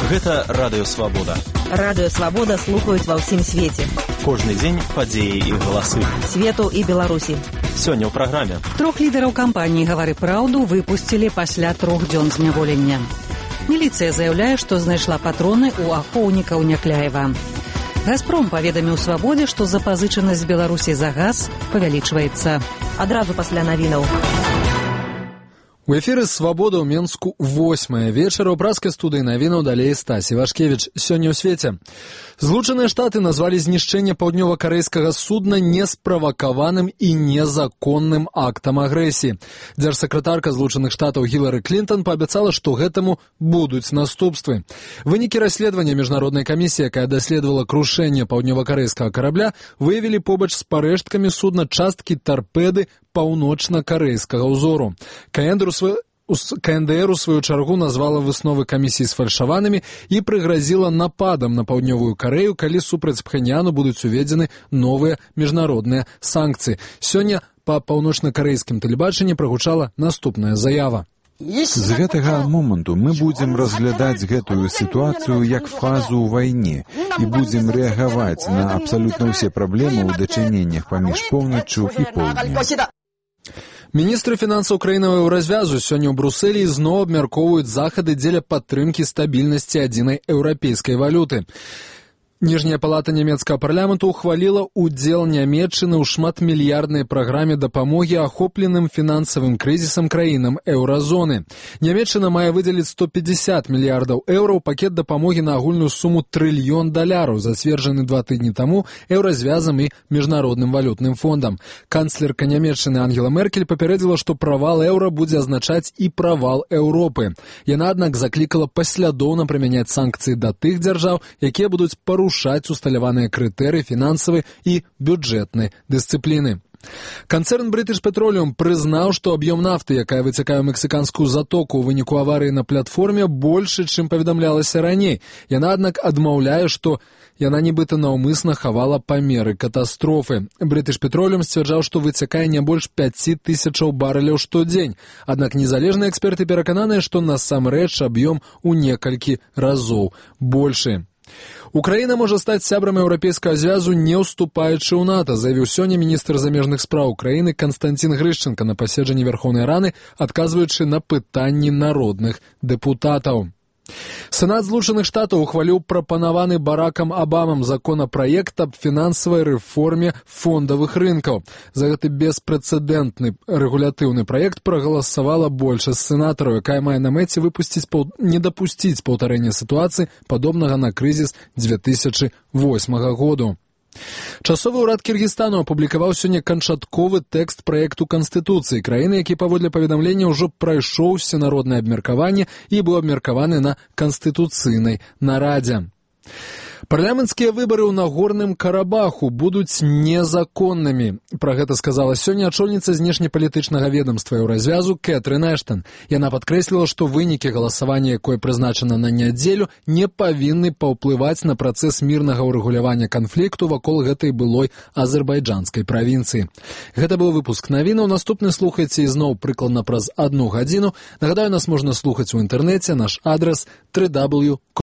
Гэта Радыё Свабода. Радыё Свабода слухаюць ва ўсім свеце. Кожны дзень падзеі і галасы. Свету і Беларусі. Сёння ў праграме. 3 лідараў кампаніі «Гавары праўду» выпусцілі пасля 3 дзён зняволення. Міліцыя заяўляе, што знайшла патроны ў ахоўнікаў Някляева. «Газпром» паведаміў «Свабодзе», што запазычанасць Беларусі за газ павялічваецца. Адразу пасля навінаў. У эфіры «Свабода» ў Менску 8 вечара. У праскай студыі навінаў далей Стасі Вашкевіч. Сёння ў свеце. Злучаныя Штаты назвалі знішчэнне паўднёва-карэйскага судна несправакаваным і незаконным актам агрэсіі. Дзяржсакратарка Злучаных Штатаў Гілары Клінтон паабяцала, што гэтаму будуць наступствы. Вынікі расследавання міжнароднай камісіі, якая даследавала крушэнне паўднёва-карэйскага карабля, выявілі побач з парэшткамі судна часткі тарпеды паўночна-карэйскага ўзору. КНДР у сваю чаргу назвала высновы камісіі сфальшаванымі і прыгразіла нападам на паўднёвую Карэю, калі супраць Пхеньяну будуць уведзены новыя міжнародныя санкцыі. Сёння па паўночна-карэйскім тэлебачанні прагучала наступная заява. З гэтага моманту мы будзем разглядаць гэтую сітуацыю як фазу ў вайне і будзем рэагаваць на абсалютна ўсе праблемы ў дачыненнях паміж поўначчу і поўднем. Міністры фінансаў краінавага развязу сёння ў Брусэлі зноў абмяркоўваюць захады дзеля падтрымкі стабільнасці адзінай еўрапейскай валюты. Ніжняя палата нямецкага парламенту ухваліла ўдзел Нямецчыны ў шматмільярднай праграме дапамогі ахопленым фінансавым крызісам краінам еўразоны. Нямецчына мае выдзеліць 150 мільярдаў еўраў пакет дапамогі на агульную суму $1 трыльён, зацверджаны 2 тыдні таму еўразвязам і міжнародным валютным фондам. Канцлерка Нямецчыны Ангела Меркель папярэдзіла, што правал еўра будзе азначаць і правал Еўропы. Яна, аднак, заклікала паслядоўна прымяняць санкцыі да тых дзяржаў, якія будуць парушаць усталяваныя крытэрыі фінансавай і бюджэтнай дысцыпліны. Канцэрн British Petroleum прызнаў, што аб'ём нафты, якая выцякае ў мексіканскую затоку ў выніку аварыі на платформе, большы, чым паведамлялася раней. Яна, аднак, адмаўляе, што яна нібыта наўмысна хавала памеры катастрофы. British Petroleum сцвярджаў, што выцякае не больш 5000 барэляў штодзень. Аднак незалежныя эксперты перакананыя, што насамрэч аб'ём у некалькі разоў большы. Украіна можа стаць сябрам еўрапейскага звязу, не ўступаючы ў НАТО, заявіў сёння міністр замежных спраў Украіны Канстантин Грышченка на паседжанні Верхоўнай Рады, адказваючы на пытанні народных дэпутатаў. Сенат Злучаных Штатаў ухваліў прапанаваны Баракам Абамам законапраект аб фінансавай рэформе фондавых рынкаў. За гэты беспрэцэдэнтны рэгулятыўны праект прагаласавала большасць сенатараў, якая мае на мэце не дапусціць паўтарэння сітуацыі, падобнага на крызіс 2008 году. Часовы ўрад Кіргізстану апублікаваў сёння канчатковы тэкст праекту Канстытуцыі краіны, які паводле паведамлення ўжо прайшоў усенароднае абмеркаванне і быў абмеркаваны на канстытуцыйнай нарадзе. Парламенцкія выбары ў Нагорным Карабаху будуць незаконнымі. Пра гэта сказала сёння ачольніца знешнепалітычнага ведамства еўразвязу Кэтрын Эштон. Яна падкрэсліла, што вынікі галасавання, якое прызначана на нядзелю, не павінны паўплываць на працэс мірнага ўрэгулявання канфлікту вакол гэтай былой азербайджанскай правінцыі. Гэта быў выпуск навінаў. Наступны слухайце ізноў прыкладна праз 1 гадзіну. Нагадаю, нас можна слухаць у інтэрнэце. Наш адрас www.